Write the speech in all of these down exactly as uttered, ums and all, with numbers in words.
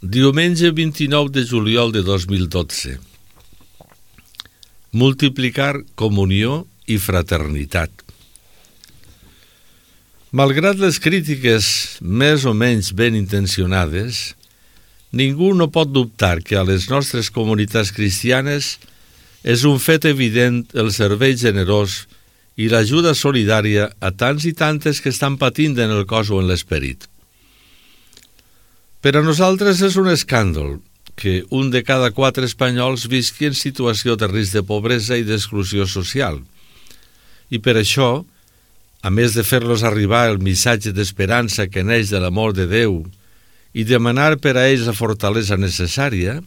Diumenge vint-i-nou de juliol de dos mil dotze. Multiplicar comunió i fraternitat. Malgrat les crítiques més o menys ben intencionades, ningú no pot dubtar que a les nostres comunitats cristianes és un fet evident el servei generós i l'ajuda solidària a tants i tantes que estan patint en el cos o en l'esperit. Per a nosaltres és un escàndol que un de cada quatre espanyols visqui en situació de risc de pobresa i d'exclusió social. I per això, a més de fer-los arribar el missatge d'esperança que neix de l'amor de Déu i demanar per a ells la fortalesa necessària,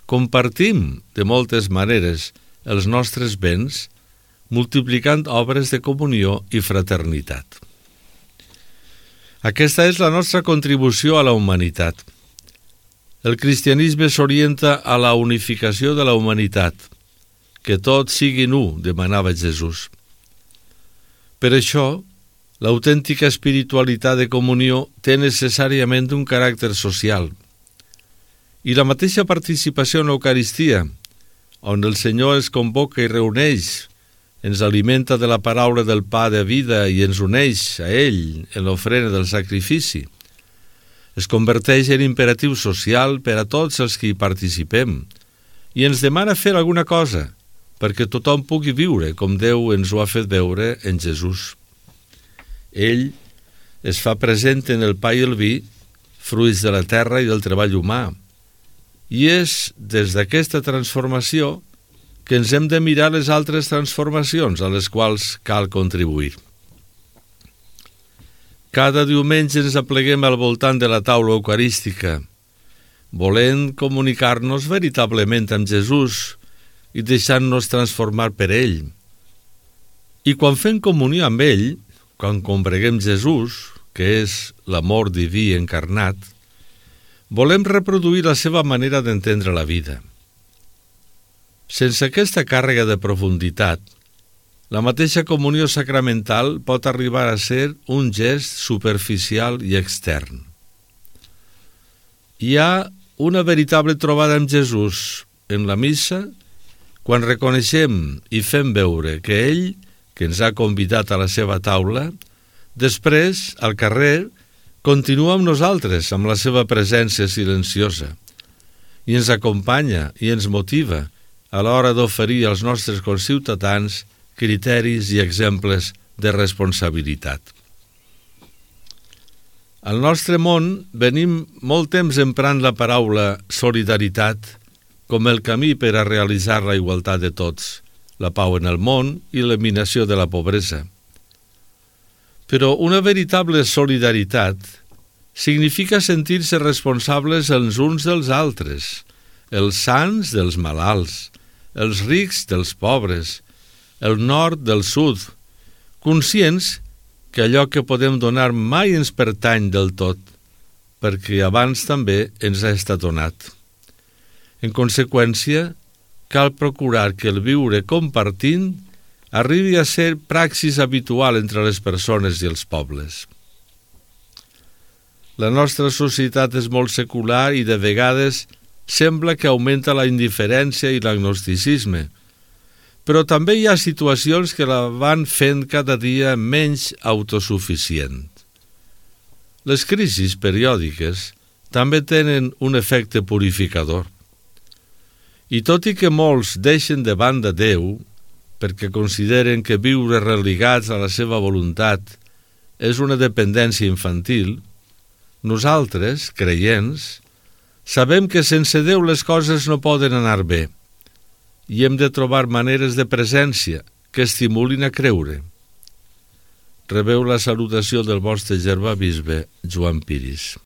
compartim de moltes maneres els nostres béns, multiplicant obres de comunió i fraternitat. Aquesta és la nostra contribució a la humanitat. El cristianisme s'orienta a la unificació de la humanitat. Que tots siguin u, demanava Jesús. Per això, l'autèntica espiritualitat de comunió té necessàriament un caràcter social. I la mateixa participació en l'Eucaristia, on el Senyor es convoca i reuneix, ens alimenta de la paraula del pa de vida i ens uneix a ell en l'ofrena del sacrifici. Es converteix en imperatiu social per a tots els que hi participem i ens demana fer alguna cosa perquè tothom pugui viure com Déu ens ho ha fet veure en Jesús. Ell es fa present en el pa i el vi, fruits de la terra i del treball humà, i és des d'aquesta transformació que ens hem de mirar les altres transformacions a les quals cal contribuir. Cada diumenge ens apleguem al voltant de la taula eucarística, volent comunicar-nos veritablement amb Jesús i deixant-nos transformar per ell. I quan fem comunió amb ell, quan combreguem Jesús, que és l'amor diví encarnat, volem reproduir la seva manera d'entendre la vida. Sense aquesta càrrega de profunditat, la mateixa comunió sacramental pot arribar a ser un gest superficial i extern. Hi ha una veritable trobada amb Jesús en la missa quan reconeixem i fem veure que ell, que ens ha convidat a la seva taula, després, al carrer, continua amb nosaltres amb la seva presència silenciosa i ens acompanya i ens motiva a l'hora d'oferir als nostres conciutadans criteris i exemples de responsabilitat. Al nostre món venim molt temps emprant la paraula solidaritat com el camí per a realitzar la igualtat de tots, la pau en el món i l'eliminació de la pobresa. Però una veritable solidaritat significa sentir-se responsables els uns dels altres, els sants dels malalts, els rics dels pobres, el nord del sud, conscients que allò que podem donar mai ens pertany del tot, perquè abans també ens ha estat donat. En conseqüència, cal procurar que el viure compartint arribi a ser praxis habitual entre les persones i els pobles. La nostra societat és molt secular i de vegades sembla que augmenta la indiferència i l'agnosticisme, però també hi ha situacions que la van fent cada dia menys autosuficient. Les crisis periòdiques també tenen un efecte purificador. I tot i que molts deixen de banda Déu, perquè consideren que viure religats a la seva voluntat és una dependència infantil, nosaltres, creients, sabem que sense Déu les coses no poden anar bé i hem de trobar maneres de presència que estimulin a creure. Rebeu la salutació del vostre germà bisbe Joan Piris.